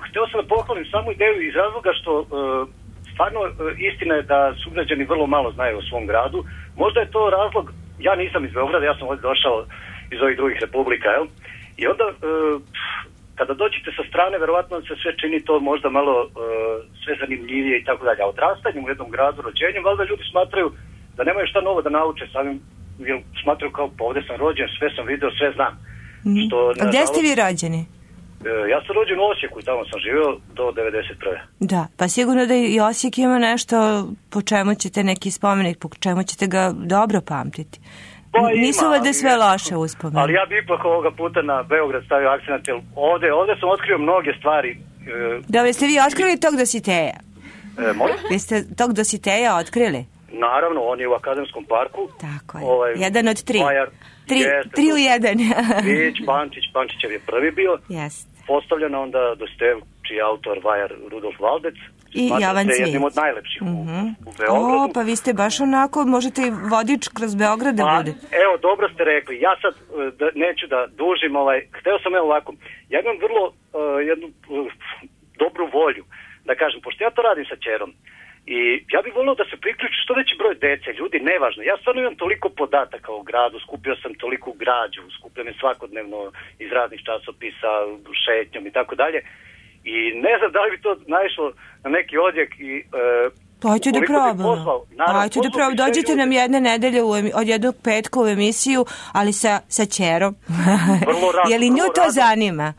hteo sam da pohvalim samu ideju iz razloga što e, stvarno e, istina je da sugrađani vrlo malo znaju o svom gradu. Možda je to razlog, ja nisam iz Beograda, ja sam ovdje došao iz ovih drugih republika, jel? I onda e, kada dođete sa strane, verovatno se sve čini to možda malo e, sve zanimljivije i tako dalje. A odrastanjem u jednom gradu, rođenjem, valjda ljudi smatraju da nemaju šta novo da nauče samim, jer smatraju kao pa ovdje sam rođen, sve sam video, sve znam. Mm. Što, A gdje ste vi rođeni? E, ja sam rođen u Osijeku i tamo sam živio do devedeset prve. Da, pa sigurno da i Osijek ima nešto po čemu ćete neki spomenik, po čemu ćete ga dobro pamtiti. Pa Nisu ima, ovdje sve loše uspomene. Ali ja bi ipak ovoga puta na Beograd stavio akcent, jer ovdje, ovdje sam otkrio mnoge stvari. E, Dobro, ste vi otkrili tog Dositeja? E, molim? Vi ste tog Dositeja otkrili? Naravno, on je u Akademskom parku. Tako je. Ovaj, jedan od tri. Vajar, tri, jeste, tri u jedan. Vić, Pančić, Pančićev je prvi bio. Jest. Postavljena onda Dostojev, čiji je autor Vajar Rudolf Valdec. I Jovan Cvijić. Jednim od najlepših mm-hmm. u, u Beogradu. O, pa vi ste baš onako, možete i vodič kroz Beograd da pa, bude. Evo, dobro ste rekli. Ja sad da, neću da dužim, ovaj, hteo sam evo ovako. Ja imam vrlo uh, jednu uh, dobru volju, da kažem, pošto ja to radim sa ćerom. I ja bih volio da se priključi što veći broj dece, ljudi, nevažno. Ja stvarno imam toliko podataka o gradu, skupio sam toliku građu, skupljam je svakodnevno iz raznih časopisa, šetnjom i tako dalje. I ne znam da li bi to naišlo na neki odjek i... E, Pa hoću da probamo. Hoću da probamo. Dođite nam jedne nedelje u, od jednog petka u emisiju, ali sa, sa ćerom. Je li nju to rado. zanima?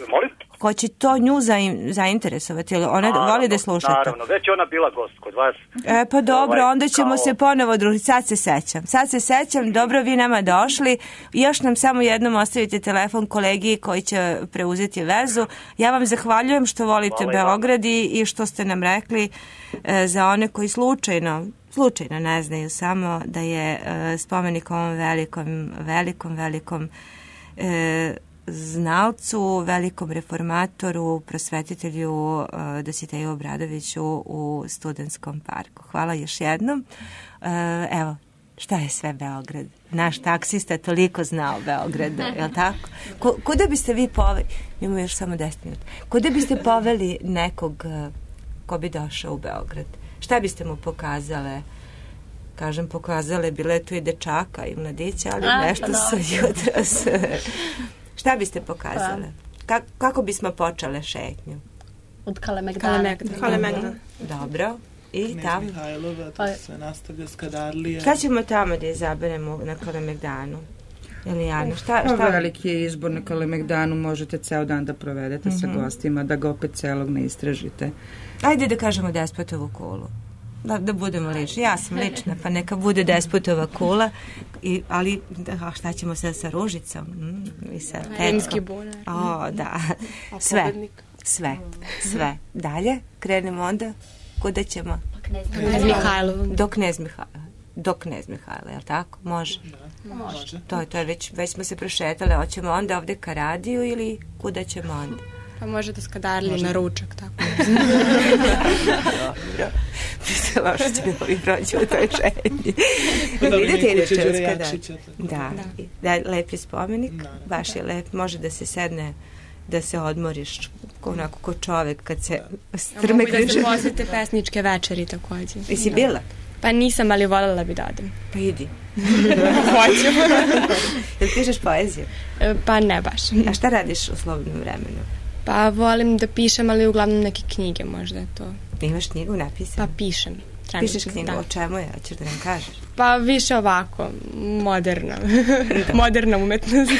Molim? Ko će to nju zain, zainteresovati? Ona naravno, voli da sluša to? Naravno, već je ona bila gost kod vas. E, pa dobro, ovaj, onda ćemo kao... se ponovo družiti. Sad se sećam. Sad se sećam, dobro, vi nama došli. Još nam samo jednom ostavite telefon kolegi koji će preuzeti vezu. Ja vam zahvaljujem što volite Hvala Beograd i, i što ste nam rekli e, za one koji slučajno slučajno ne znaju samo da je e, spomenik ovom velikom, velikom, velikom e, znalcu, velikom reformatoru, prosvetitelju uh, Dositeju Obradoviću u Studentskom parku. Hvala još jednom. Uh, evo, šta je sve Beograd? Naš taksista toliko zna o Beogradu, je li tako? Ko, kuda biste vi poveli, imamo još samo deset minuta, kuda biste poveli nekog uh, ko bi došao u Beograd? Šta biste mu pokazale? Kažem, pokazale, bile tu i dečaka i mladića, ali A, nešto pa su jutros... Šta biste pokazale? Ka kako bismo počele šetnju? Od Kalemegdana. Kalemegdan. Dobro. I Knez tamo? Mihajlova, to se nastavlja Skadarlija. Šta ćemo tamo da izaberemo na Kalemegdanu? Elijana, šta, šta? Pa veliki je izbor na Kalemegdanu, možete ceo dan da provedete mm -hmm. sa gostima, da ga opet celog ne istražite. Ajde da kažemo Despotovu kulu. Da, da budemo lični. Ja sam lična, pa neka bude Despotova kula. I, ali da, šta ćemo sad sa Ružicom? Mm, i sa Rimski bunar. O, da. Sve. Sve. Sve. Dalje, krenemo onda. Kuda ćemo? Knez Mihajlova. Do Knez Mihajlova. Do Knez Mihajla, je li tako? Može? Da. Može. To je, to je već, već smo se prošetali. Hoćemo onda ovde ka radiju ili kuda ćemo onda? Pa može da Skadarli na ručak, tako. Dobro. Mislim, loše će da ovi prođu u toj šetnji. Vidite, idete u Skadarli. Da. Da, lep je spomenik, baš je lep. Može da se sedne, da se odmoriš onako ko čovek kad se strmegneš. Mogu da se posjete pesničke večeri takođe. Jesi bila? Pa nisam, ali voljela bi da odem. Pa idi. Hoću. Jel pišeš poeziju? Pa ne baš. A šta radiš u slobodnom vremenu? Pa volim da pišem, ali uglavnom neke knjige možda je to. Imaš knjigu napisanu? Pa pišem. Pišeš knjigu, da. O čemu je? Hoćeš da nam kažeš? Pa više ovako, moderna. Moderna umetnost.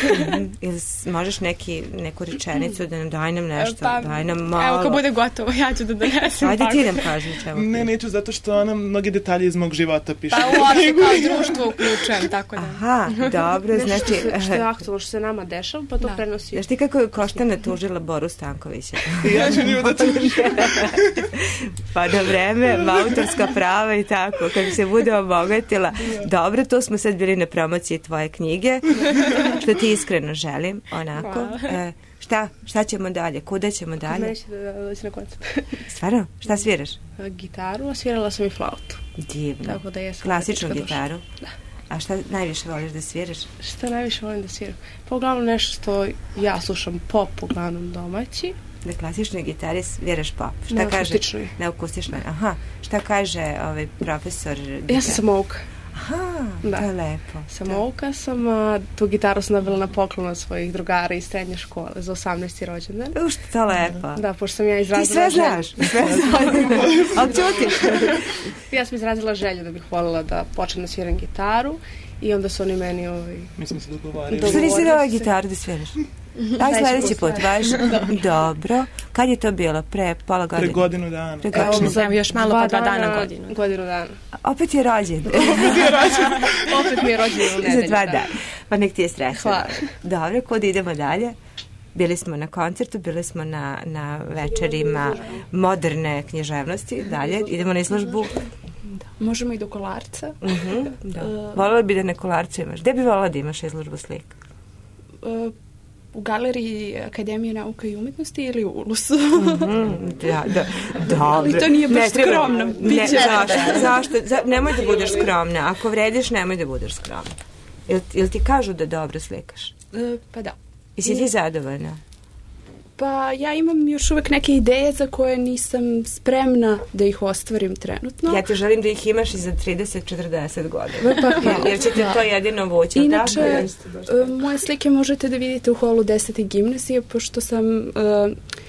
Ili možeš neki, neku rečenicu da nam daj nam nešto, pa, daj nam malo. Evo, kad bude gotovo, ja ću da donesem. Ajde ti nam kaži čemu. Ne, neću, zato što ona mnogi detalje iz mog života piše. Pa uopšte kao društvo uključujem, tako da. Aha, dobro, znači... Što je aktualno, što se nama dešava, pa to da. prenosi. Znaš ti kako je Koštana tužila Boru Stankovića? Ja ću nju da tužim. Pa na vreme, autorska prava i tako, kad se bude obogatila. Dobro, tu smo sad bili na promociji tvoje knjige, što ti iskreno želim, onako. E, šta, šta ćemo dalje? Kuda ćemo dalje? Neće da doći na koncu. Stvarno? Šta sviraš? Gitaru, a svirala sam i flautu. Divno. Tako da jesam. Klasičnu gitaru? Da. A šta najviše voliš da sviraš? Šta najviše volim da sviram? Pa uglavnom nešto što ja slušam pop, uglavnom domaći. Na klasičnoj gitari sviraš pop. Šta na kaže? akustičnoj. Na akustičnoj. Aha. Šta kaže ovaj profesor? Ja sam samouka. Aha, da. To je lepo. Samouka sam, a, tu gitaru sam dobila na poklon od svojih drugara iz srednje škole za osamnaesti rođendan. Uš, to lepo. Da, pošto sam ja izrazila Ti sve znaš, sve znaš. Ali čutiš. Ja sam izrazila želju da bih voljela da počnem da sviram gitaru i onda su oni meni ovaj... Mi smo se dogovarili. Što nisi dala gitaru da sviraš? Aj sledeći put, vaš. Dobro. Kad je to bilo? Pre pola godine? Pre godinu dana. Pre godinu dana. Još malo pa dva dana godinu. Godinu dana. Opet je rođen. Opet je rođen. Opet mi je rođen u nedelju. Za dva dana. Pa nek ti je stresno. Hvala. Dobro, kod idemo dalje? Bili smo na koncertu, bili smo na, na večerima moderne književnosti. Dalje, idemo na izložbu. Možemo i do Kolarca. Uh -huh, da. Uh, Volila bi da na Kolarcu imaš. Gde bi volila da imaš izložbu slika? Uh, u galeriji Akademije nauka i umetnosti ili u Ulusu. Mm -hmm, da, da, dobro. Ali to nije baš ne, skromno. Ne, zašto? zašto? Za, nemoj da budeš skromna. Ako vrediš, nemoj da budeš skromna. Jel, jel ti kažu da dobro slikaš? Uh, pa da. I si ti zadovoljna? Pa ja imam još uvek neke ideje za koje nisam spremna da ih ostvarim trenutno. Ja ti želim da ih imaš i za trideset četrdeset godina. Pa, pa, jer ćete to jedino vući. Inače, tako? Moje slike možete da vidite u holu desete gimnazije, pošto sam uh,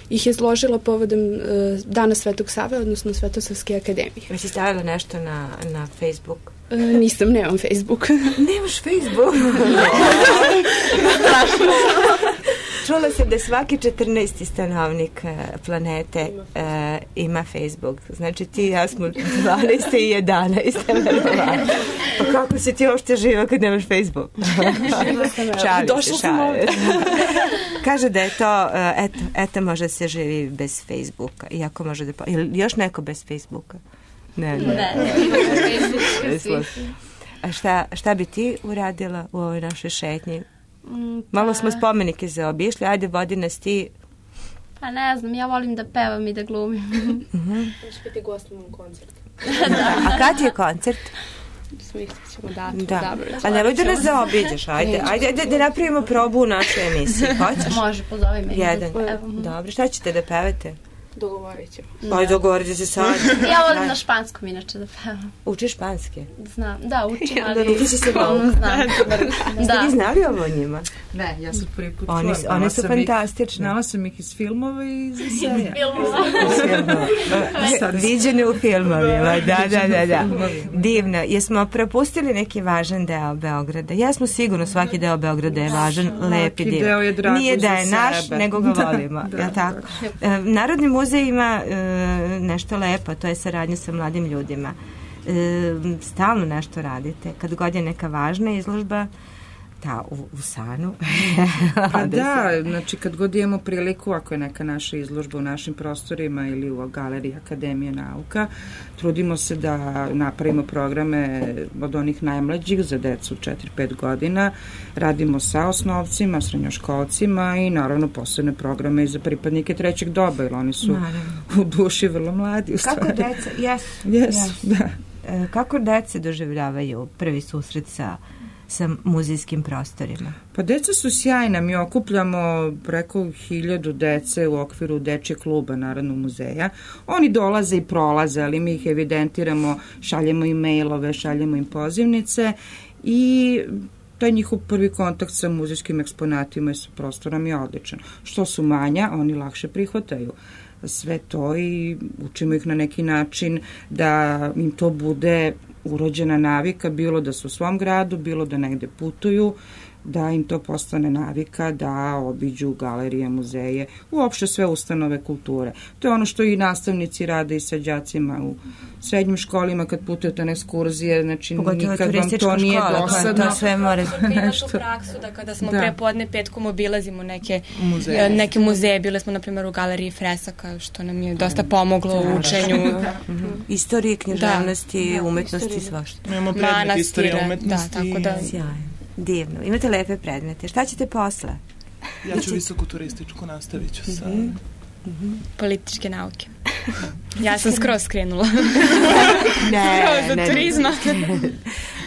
ih izložila povodom uh, Dana Svetog Save, odnosno Svetosavske akademije. Već si stavila nešto na, na Facebook? Uh, nisam, nemam Facebook. Nemaš Facebook? Čula sam da svaki četrnaesti stanovnik planete uh, ima Facebook. Znači ti i ja smo dvanaeste i jedanaeste. Pa kako si ti uopšte živa kad nemaš Facebook? Šalim Došla se, sam ovdje. Kaže da je to, uh, eto, eto može se živi bez Facebooka. Iako može da... Ili još neko bez Facebooka? Ne, ne. Ne, Facebook. A šta, šta bi ti uradila u ovoj našoj šetnji? Mm, pa... Malo smo spomenike zaobišli, ajde vodi nas ti. Pa ne znam, ja volim da pevam i da glumim. Uh-huh. Možeš biti gost na mom koncertu. Da. A kad je koncert? Smislit ćemo datum. Da. A nemoj da nas zaobiđeš, ajde, ajde da, da napravimo probu u našoj emisiji. Hoćeš? Može, pozovi me. Jedan. Dobro, šta ćete da pevate? Dogovorit ćemo. Ajde, dogovorite se sad. Ja volim na španskom inače da pevam. Učiš španski? Znam, da, učim, Ja, ali... Uči si se malo. Znam. Ste vi znali ovo o njima? Ne, ja sam prvi put Oni, čula. oni su fantastični. Znala sam ih iz filmova i iz eseja. Viđene u filmovima, da, da, da, da. Divno. Jesmo propustili neki važan deo Beograda? Jesmo sigurno, svaki deo Beograda je važan, lep i divan. Nije da je naš, nego ga volimo. Da, tako? Narodni muzej ima nešto lepo, to je saradnja sa mladim ljudima. Stalno nešto radite. Kad god je neka važna izložba, da, u, u Sanu. Pa da, znači kad god imamo priliku, ako je neka naša izložba u našim prostorima ili u galeriji Akademije nauka, trudimo se da napravimo programe od onih najmlađih za decu četiri pet godina, radimo sa osnovcima, srednjoškolcima i naravno posebne programe i za pripadnike trećeg doba, jer oni su naravno u duši vrlo mladi. U Kako deca, yes, yes, yes. Da. E, kako deca doživljavaju prvi susret sa sa muzejskim prostorima? Pa deca su sjajna, mi okupljamo preko hiljadu dece u okviru dečjeg kluba Narodnog muzeja. Oni dolaze i prolaze, ali mi ih evidentiramo, šaljemo im mailove, šaljemo im pozivnice i taj njihov prvi kontakt sa muzejskim eksponatima i sa prostorom je odličan. Što su manja, oni lakše prihvataju sve to i učimo ih na neki način da im to bude urođena navika, bilo da su u svom gradu, bilo da negde putuju, da im to postane navika, da obiđu galerije, muzeje, uopšte sve ustanove kulture. To je ono što i nastavnici rade i sa đacima u srednjim školima kad putujete na ekskurzije, znači pogotovo nikad vam to nije škola, dosadno. To sve mora nešto. Tu praksu da kada smo da. prepodne petkom obilazimo neke muzeje, neke muzeje, bile smo na primjer u galeriji Fresaka, što nam je dosta pomoglo u učenju. Istorije, književnosti, da. umetnosti, svašta. Imamo predmet istorije umetnosti. Da, tako da. Sjajno. Divno. Imate lepe predmete. Šta ćete posle? Ja ću visoku turističku, nastavit ću sa... Mm-hmm. Mm-hmm. Političke nauke. Ja sam skroz skrenula. ne, skroz od ne, turizma.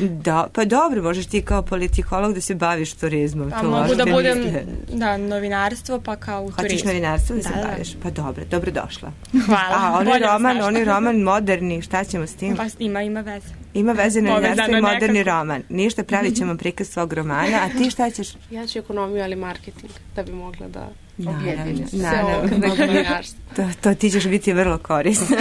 da, pa dobro, možeš ti kao politikolog da se baviš turizmom. Pa mogu da budem da, novinarstvo, pa kao u turizmu. Hoćeš novinarstvo da, da se da, baviš? Pa dobro, dobro došla. Hvala. A oni roman, oni roman moderni, šta ćemo s tim? Pa ima, ima veze. Ima veze novinarstvo i moderni roman. Ništa, pravit ćemo prikaz svog romana, a ti šta ćeš? Ja ću ekonomiju, ali marketing, da bi mogla da objedinim sve ovo novinarstvo. To, to ti ćeš biti vrlo korisno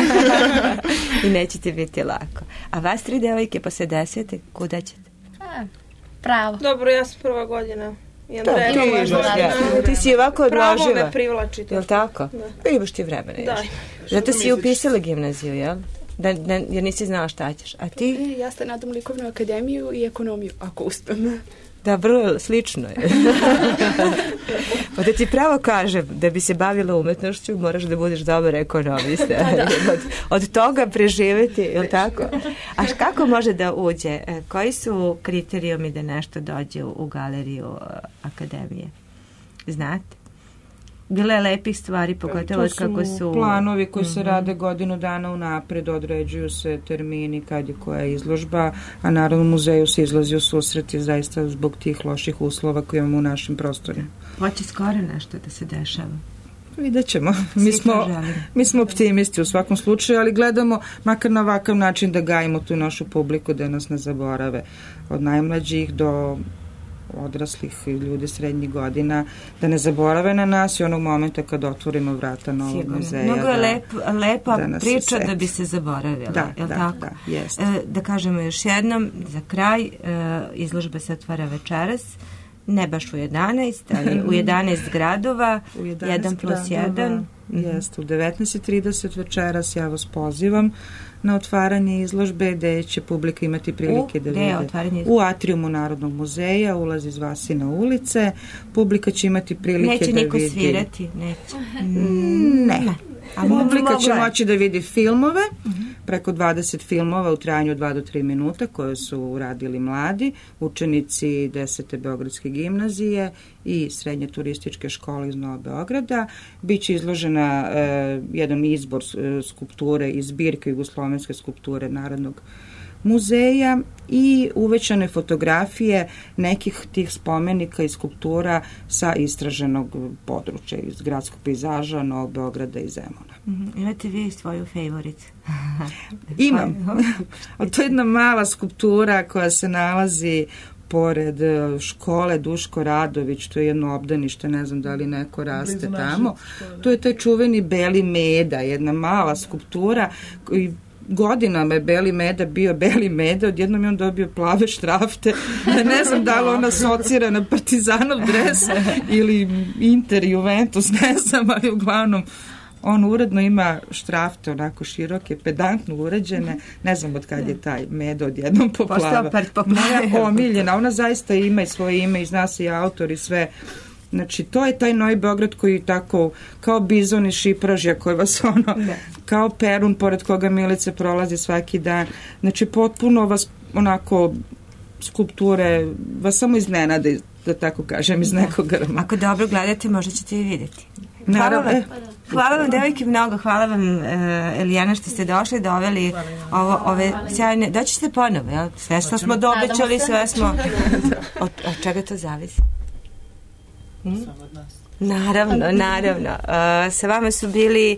i neće ti biti lako. A vas tri devojke posle desete, kuda ćete? A, pravo. Dobro, ja sam prva godina. To, ti, ja. ti si ovako odloživa. Pravo me privlači. Jel tako? Da. Pa imaš ti vremena još. Da. Zato si upisala gimnaziju, jel? Da, da, jer nisi znala šta ćeš. A ti? Ja se nadam likovnu akademiju i ekonomiju, ako uspem. Da, vrlo slično je. Pa da ti pravo kažem, da bi se bavila umetnošću, moraš da budeš dobar ekonomista. Da, da. Od, od toga preživeti, je li tako? A kako može da uđe? Koji su kriterijumi da nešto dođe u, u galeriju akademije? Znate? Bilo je lepih stvari, pogotovo od kako su... planovi koji se rade godinu dana unapred, određuju se termini kad je koja izložba, a Narodnom muzeju se izlazi u susret zaista zbog tih loših uslova koje imamo u našim prostorima. Hoće skoro nešto da se dešava. Vidjet ćemo. Mi smo, mi smo optimisti u svakom slučaju, ali gledamo makar na ovakav način da gajimo tu našu publiku, da nas ne zaborave. Od najmlađih do odraslih ljudi srednjih godina, da ne zaborave na nas i onog momenta kad otvorimo vrata novog Sigurno. muzeja. Mnogo je da, lep, lepa da priča da bi se zaboravila. Da, je da, tako? da, jest. E, da kažemo još jednom, za kraj, e, izložba se otvara večeras, ne baš u jedanaest, ali u jedanaest gradova, u jedanaest jedan plus gradova, jedan. Jeste, u devetnaest i trideset večeras ja vas pozivam na otvaranje izložbe gde će publika imati prilike U, da vide. U atriumu Narodnog muzeja, ulaz iz Vasina ulice, publika će imati prilike neće da vidi... Neće niko svirati, neće. Mm, ne. A publika će je. moći da vidi filmove, preko dvadeset filmova u trajanju od dva do tri minuta koje su uradili mladi, učenici desete Beogradske gimnazije i srednje turističke škole iz Novog Beograda. Biće izložena e, jedan izbor e, skulpture iz zbirke jugoslovenske skulpture Narodnog muzeja i uvećane fotografije nekih tih spomenika i skulptura sa istraženog područja iz gradskog pejzaža Novog Beograda i Zemuna. Mm-hmm. Imate vi svoju favorit? Imam. Ali to je jedna mala skulptura koja se nalazi pored škole Duško Radović, to je jedno obdanište, ne znam da li neko raste tamo. To je taj čuveni Beli Meda, jedna mala skulptura koji godinama je Beli Meda bio Beli Meda, odjednom je on dobio plave štrafte, ne znam da li on asocira na Partizanov dres ili Inter, Juventus, ne znam, ali uglavnom on uredno ima štrafte onako široke, pedantno uređene, ne znam od kad je taj Meda odjednom poplava. Moja omiljena, ona zaista ima i svoje ime i zna se i autor i sve. Znači, to je taj Novi Beograd koji tako, kao bizon iz Šipražja koji vas ono, ne. kao Perun pored koga Milice prolazi svaki dan. Znači, potpuno vas onako skulpture vas samo iznenade, da tako kažem, iz nekog grma. Ako dobro gledate, možda ćete i vidjeti. Naravno. Hvala vam, hvala vam devojke mnogo, hvala vam uh, Elijana što ste došli, doveli ovo, ove sjajne, doći ćete ponovo, jel? Sve što smo dobećali, sve smo, od, od čega to zavisi? Hmm? Naravno, naravno. Uh, sa vama su bili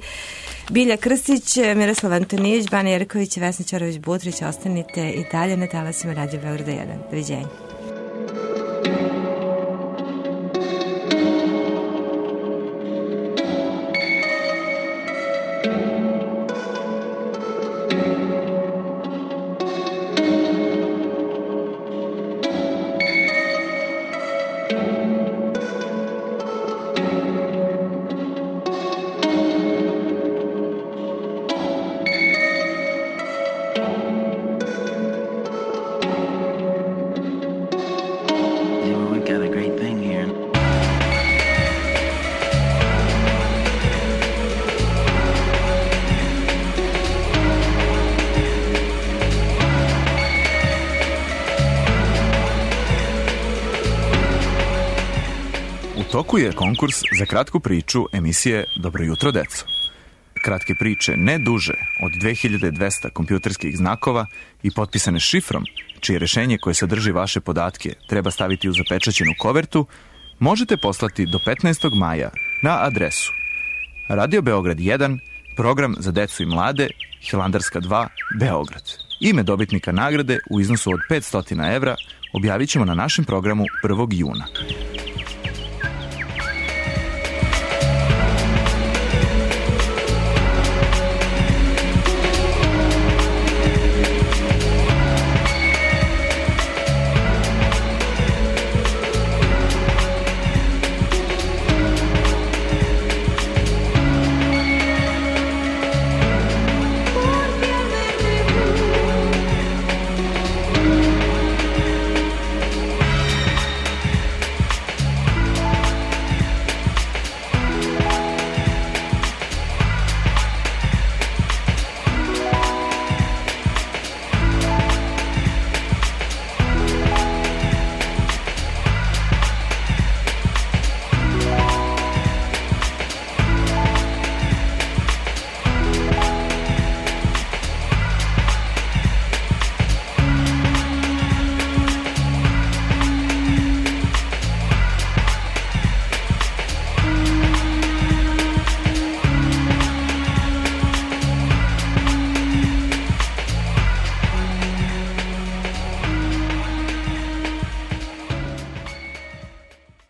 Bilja Krstić, Miroslav Antonijević, Bana Jerković i Vesna Ćorović-Butrić. Ostanite i dalje na talasima Radio Beograda jedan. Doviđenja. toku je konkurs za kratku priču emisije Dobro jutro, deco. Kratke priče ne duže od dve hiljade dvesta kompjuterskih znakova i potpisane šifrom, čije rešenje koje sadrži vaše podatke treba staviti u zapečaćenu kovertu, možete poslati do petnaestog maja na adresu Radio Beograd jedan, program za decu i mlade, Hilandarska dva, Beograd. Ime dobitnika nagrade u iznosu od petsto evra objavit ćemo na našem programu prvog juna.